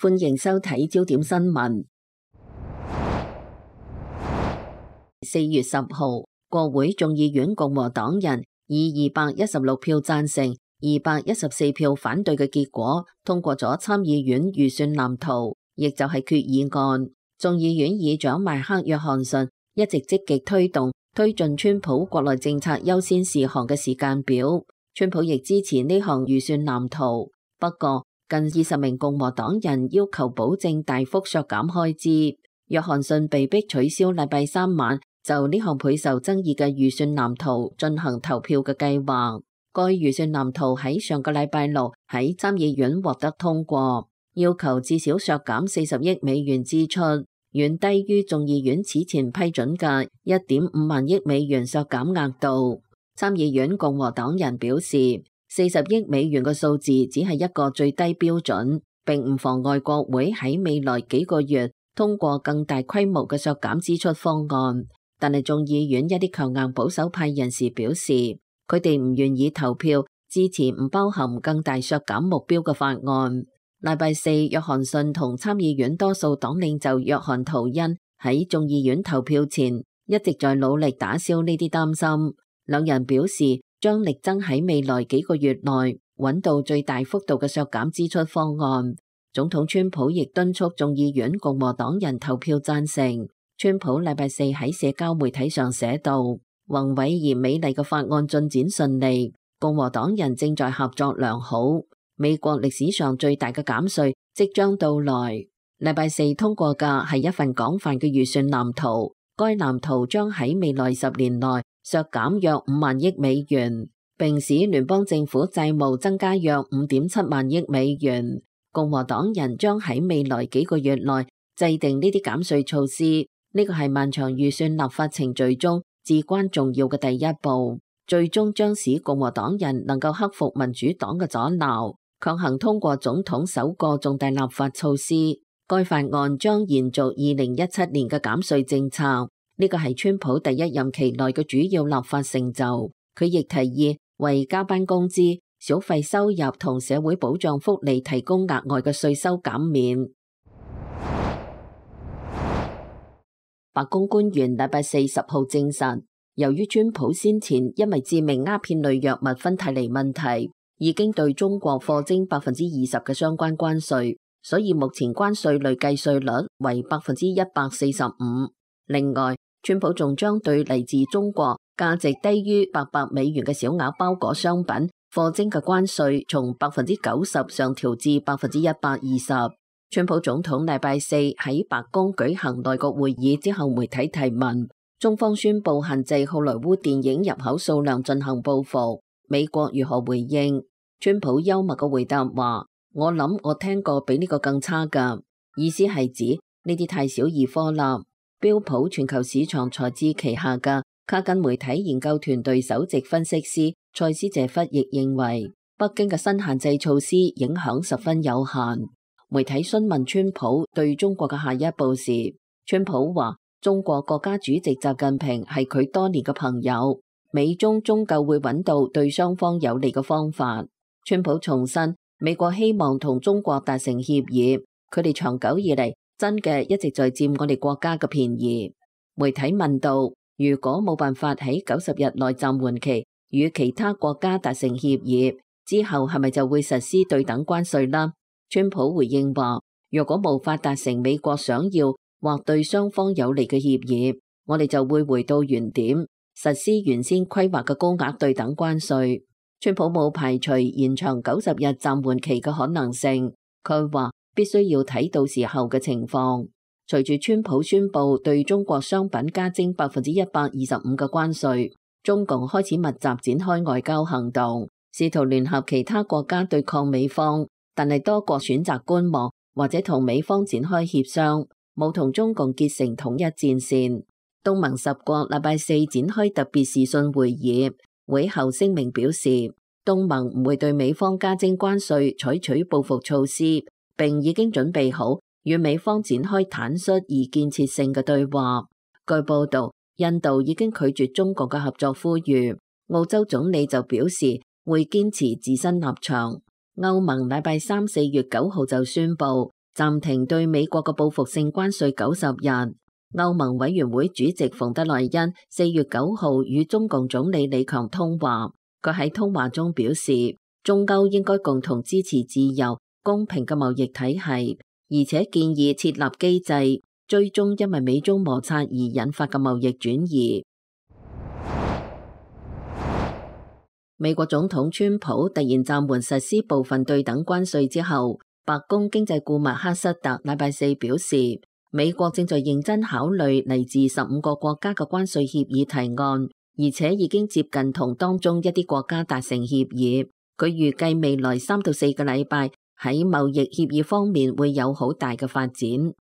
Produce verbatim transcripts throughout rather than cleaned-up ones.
歡迎收睇焦點新聞。四月十號，國會眾議院共和黨人以二百一十六票贊成、二百一十四票反對嘅結果，通過咗參議院預算藍圖，亦就係決議案。眾議院議長邁克約翰遜一直積極推動推進川普國內政策優先事項嘅時間表，川普亦支持呢項預算藍圖。不過，近二十名共和黨人要求保證大幅削減開支，約翰遜被迫取消禮拜三晚就呢項倍受爭議嘅預算藍圖進行投票嘅計劃。該預算藍圖喺上個禮拜六喺參議院獲得通過，要求至少削減四十億美元支出，遠低於眾議院此前批准嘅一點五萬億美元削減額度。參議院共和黨人表示，四十億美元嘅數字只係一個最低標準，並唔妨礙國會喺未來幾個月通過更大規模嘅削減支出方案。但係眾議院一啲強硬保守派人士表示，佢哋唔願意投票支持唔包含更大削減目標嘅法案。禮拜四，約翰遜同參議院多數黨領袖約翰圖恩喺眾議院投票前一直在努力打消呢啲擔心。兩人表示將力爭喺未來幾個月內揾到最大幅度嘅削減支出方案。總統川普亦敦促眾議院共和黨人投票贊成。川普禮拜四喺社交媒體上寫道：宏偉而美麗嘅法案進展順利，共和黨人正在合作良好。美國歷史上最大嘅減稅即將到來。禮拜四通過嘅係一份廣泛嘅預算藍圖，該藍圖將喺未來十年內削減約五萬億美元，並使聯邦政府債務增加約五點七萬億美元。共和黨人將喺未來幾個月內制定呢啲減稅措施，呢個係漫長預算立法程序中至關重要嘅第一步，最終將使共和黨人能夠克服民主黨嘅阻撓，強行通過總統首個重大立法措施。該法案將延續二零一七年嘅減稅政策，呢個係川普第一任期內嘅主要立法成就。佢亦提議為加班工資、小費收入同社會保障福利提供額外嘅稅收減免。白宮官員禮拜四十號證實，由於川普先前因為致命鴉片類藥物芬太尼問題，已經對中國課徵百分之二十嘅相關關稅，所以目前關稅累計稅率為百分之一百四十五。另外，川普仲將對嚟自中國價值低於八百美元嘅小額包裹商品課徵嘅關稅從百分之九十上調至百分之一百二十。川普總統禮拜四喺白宮舉行內閣會議之後，媒體提問，中方宣布限制好萊塢電影入口數量進行報復，美國如何回應？川普幽默嘅回答話：我諗我聽過比呢個更差㗎，意思係指呢啲太小兒科啦。標普全球市場財智旗下嘅卡根媒體研究團隊首席分析師塞斯謝弗亦認為，北京嘅新限制措施影響十分有限。媒體詢問川普對中國嘅下一步時，川普話：中國國家主席習近平係佢多年嘅朋友，美中終究會揾到對雙方有利嘅方法。川普重申，美國希望同中國達成協議，佢哋長久以嚟真嘅一直在佔我哋國家嘅便宜。媒體問到，如果冇辦法喺九十日內暫緩期與其他國家達成協議，之後係咪就會實施對等關稅啦？川普回應話：若果無法達成美國想要或對雙方有利嘅協議，我哋就會回到原點，實施原先規劃嘅高額對等關稅。川普冇排除延長九十日暫緩期嘅可能性，佢話必須要睇到時候嘅情況。隨住川普宣布對中國商品加徵百分之一百二十五嘅關稅，中共開始密集展開外交行動，試圖聯合其他國家對抗美方。但係多國選擇觀望或者同美方展開協商，冇同中共結成統一戰線。東盟十國禮拜四展開特別視訊會議，會後聲明表示，東盟唔會對美方加徵關稅採取報復措施，並已經準備好與美方展開坦率而建設性嘅對話。據報道，印度已經拒絕中國嘅合作呼籲，澳洲總理就表示會堅持自身立場。歐盟禮拜三四月九號就宣布暫停對美國嘅報復性關稅九十日。歐盟委員會主席馮德萊恩四月九號與中共總理李強通話，佢喺通話中表示，中歐應該共同支持自由公平嘅貿易體系，而且建議設立機制，追蹤因為美中摩擦而引發嘅貿易轉移。美國總統川普突然暫緩實施部分對等關稅之後，白宮經濟顧問赫瑟特禮拜四表示，美國正在認真考慮嚟自十五個國家嘅關稅協議提案，而且已經接近同當中一啲國家達成協議。佢預計未來三到四個禮拜喺貿易協議方面會有好大嘅發展。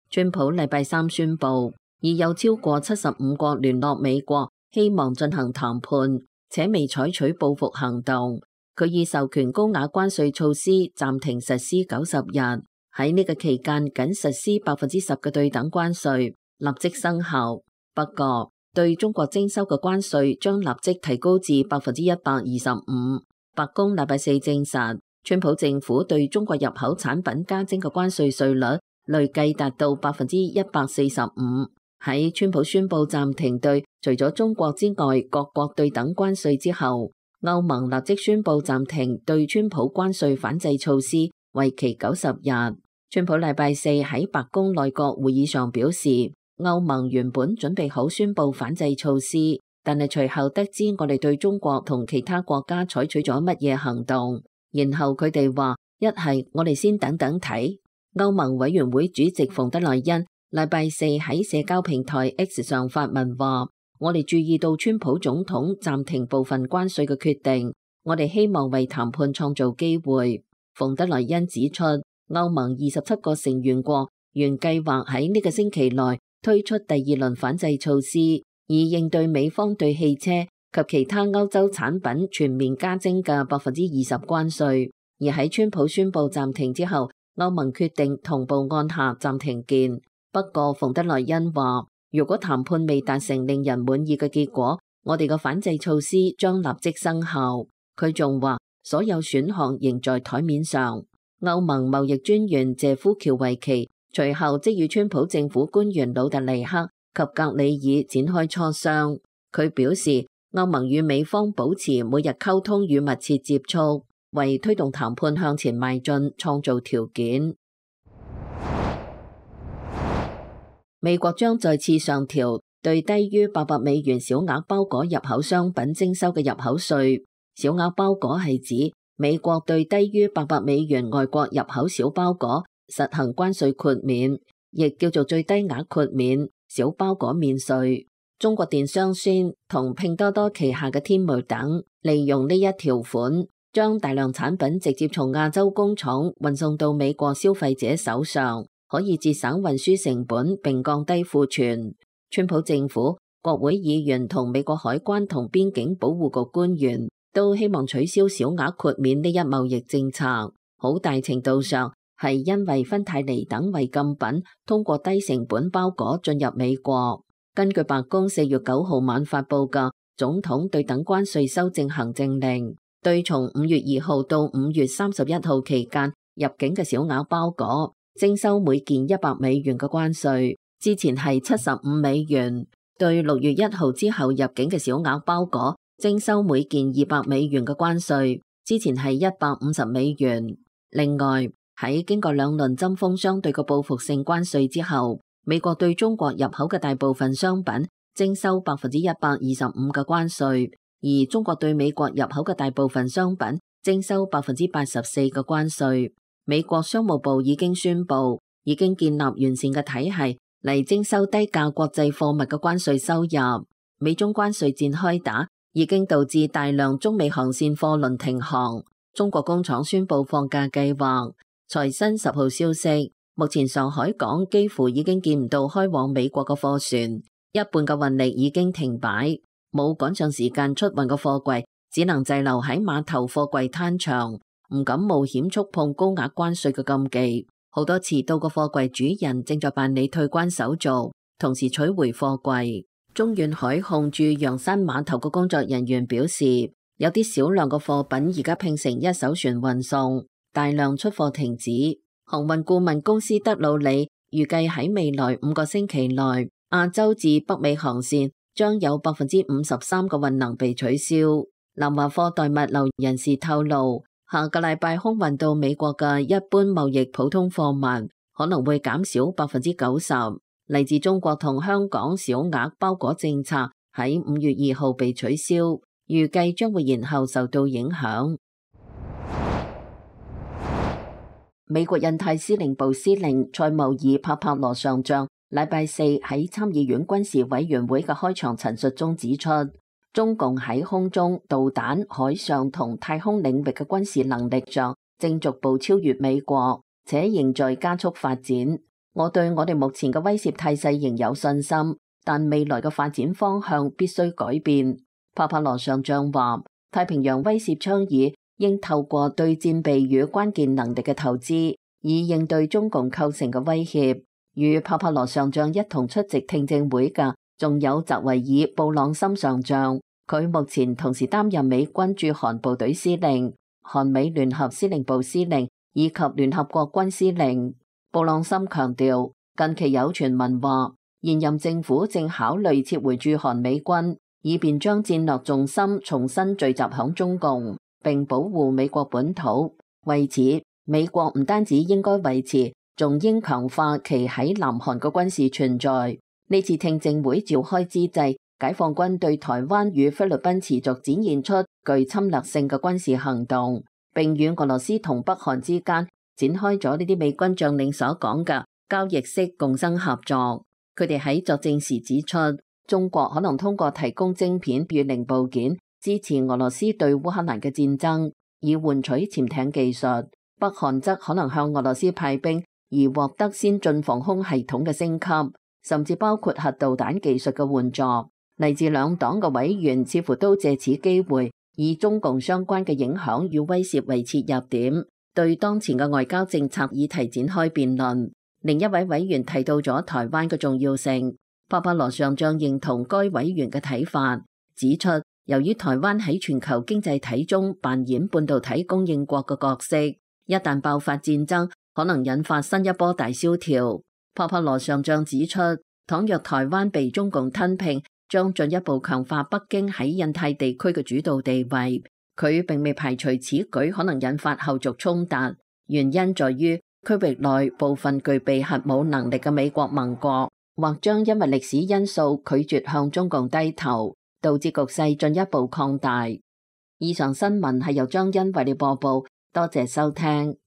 川普禮拜三宣布，已有超過七十五國聯絡美國，希望進行談判，且未採取報復行動。佢已授權高額關稅措施暫停實施九十日。喺呢個期間，僅實施百分之十嘅對等關稅，立即生效。不過，對中國徵收嘅關稅將立即提高至百分之一百二十五。白宮禮拜四證實，川普政府對中國入口產品加徵嘅關稅稅率累計達到百分之一百四十五。喺川普宣布暫停對除咗中國之外各國對等關稅之後，歐盟立即宣布暫停對川普關稅反制措施，為期九十日。川普禮拜四喺白宮內閣會議上表示，歐盟原本準備好宣布反制措施，但係隨後得知我哋對中國同其他國家採取咗乜嘢行動，然後佢哋話一係我哋先等等睇。歐盟委員會主席馮德萊恩禮拜四喺社交平台 X 上發文話，我哋注意到川普總統暫停部分關稅嘅決定，我哋希望為談判創造機會。馮德萊恩指出，歐盟二十七個成員國原計劃喺呢個星期內推出第二輪反制措施，以應對美方對汽車及其他歐洲產品全面加徵嘅百分之二十關稅。而喺川普宣布暫停之後，歐盟決定同步按下暫停鍵。不過馮德萊恩話，如果談判未達成令人滿意嘅結果，我哋嘅反制措施將立即生效。佢仲話，所有選項仍在台面上。歐盟貿易專員謝夫喬維奇隨後即與川普政府官員魯特尼克及格里爾展開磋商。佢表示，歐盟與美方保持每日溝通與密切接觸，為推動談判向前邁進創造條件。美國將再次上調對低於八百美元小額包裹入口商品徵收嘅入口稅。小額包裹係指美國對低於八百美元外國入口小包裹實行關稅豁免，亦叫做最低額豁免、小包裹免稅。中國電商宣同拼多多旗下嘅天貓等，利用呢一條款，將大量產品直接從亞洲工廠運送到美國消費者手上，可以節省運輸成本並降低庫存。川普政府、國會議員同美國海關同邊境保護局官員都希望取消小額豁免呢一貿易政策，好大程度上係因為芬太尼等違禁品通過低成本包裹進入美國。根據白宮四月九號晚發布嘅總統對等關稅修正行政令，對從五月二號到五月三十一號期間入境嘅小額包裹徵收每件一百美元嘅關稅，之前係七十五美元。對六月一號之後入境嘅小額包裹徵收每件二百美元嘅關稅，之前係一百五十美元。另外，喺經過兩輪針鋒相對嘅報復性關稅之後，美國對中國入口嘅大部分商品徵收百分之一百二十五嘅關稅，而中國對美國入口嘅大部分商品徵收百分之八十四嘅關稅。美國商務部已經宣布，已經建立完善嘅體系嚟徵收低價國際貨物嘅關稅收入。美中關稅戰開打，已經導致大量中美航線貨輪停航。中國工廠宣布放假計劃。財新十號消息，目前上海港幾乎已經見唔到開往美國嘅貨船，一半嘅運力已經停擺，冇趕上時間出運嘅貨櫃只能滯留喺碼頭貨櫃攤場，唔敢冒險觸碰高額關稅嘅禁忌。好多遲到嘅貨櫃主人正在辦理退關手續，同時取回貨櫃。中遠海控駐陽山碼頭嘅工作人員表示，有啲少量嘅貨品而家拼成一艘船運送，大量出貨停止。航運顧問公司德魯里預計喺未來五個星期內，亞洲至北美航線將有百分之五十三個運能被取消。南華貨代物流人士透露，下個禮拜空運到美國嘅一般貿易普通貨物可能會減少百分之九十。嚟自中國同香港小額包裹政策喺五月二號被取消，預計將會延後受到影響。美國印太司令部司令塞穆爾帕帕羅上將禮拜四喺參議院軍事委員會嘅開場陳述中指出，中共喺空中、導彈、海上同太空領域嘅軍事能力上正逐步超越美國，且仍在加速發展。我對我哋目前嘅威懾態勢仍有信心，但未來嘅發展方向必須改變。帕帕羅上將話，太平洋威懾倡議應透過對戰備與關鍵能力嘅投資，以應對中共構成嘅威脅。與帕帕羅上將一同出席聽證會嘅，仲有澤維爾布朗森上將，佢目前同時擔任美軍駐韓部隊司令、韓美聯合司令部司令以及聯合國軍司令。布朗森強調，近期有傳聞話，現任政府正考慮撤回駐韓美軍，以便將戰略重心重新聚集響中共，並保護美國本土。為此，美國唔單止應該維持，仲應強化其喺南韓嘅軍事存在。呢次聽證會召開之際，解放軍對台灣與菲律賓持續展現出具侵略性嘅軍事行動，並與俄羅斯同北韓之間展開咗呢啲美軍將領所講嘅交易式共生合作。佢哋喺作證時指出，中國可能通過提供晶片與零部件，支持俄羅斯對烏克蘭嘅戰爭，以換取潛艇技術。北韓則可能向俄羅斯派兵，而獲得先進防空系統嘅升級，甚至包括核導彈技術嘅援助。嚟自兩黨嘅委員似乎都借此機會，以中共相關嘅影響與威懾為切入點，對當前嘅外交政策議題展開辯論。另一位委員提到咗台灣嘅重要性，帕帕羅上將認同該委員嘅睇法，指出由於台灣喺全球經濟體中扮演半導體供應國嘅角色，一旦爆發戰爭，可能引發新一波大蕭條。帕帕羅上將指出，倘若台灣被中共吞併，將進一步強化北京喺印太地區嘅主導地位。佢並未排除此舉可能引發後續衝突，原因在於區域內部分具備核武能力嘅美國盟國，或將因為歷史因素拒絕向中共低頭，導致局勢進一步擴大。以上新聞係由張欣為你播報，多謝收聽。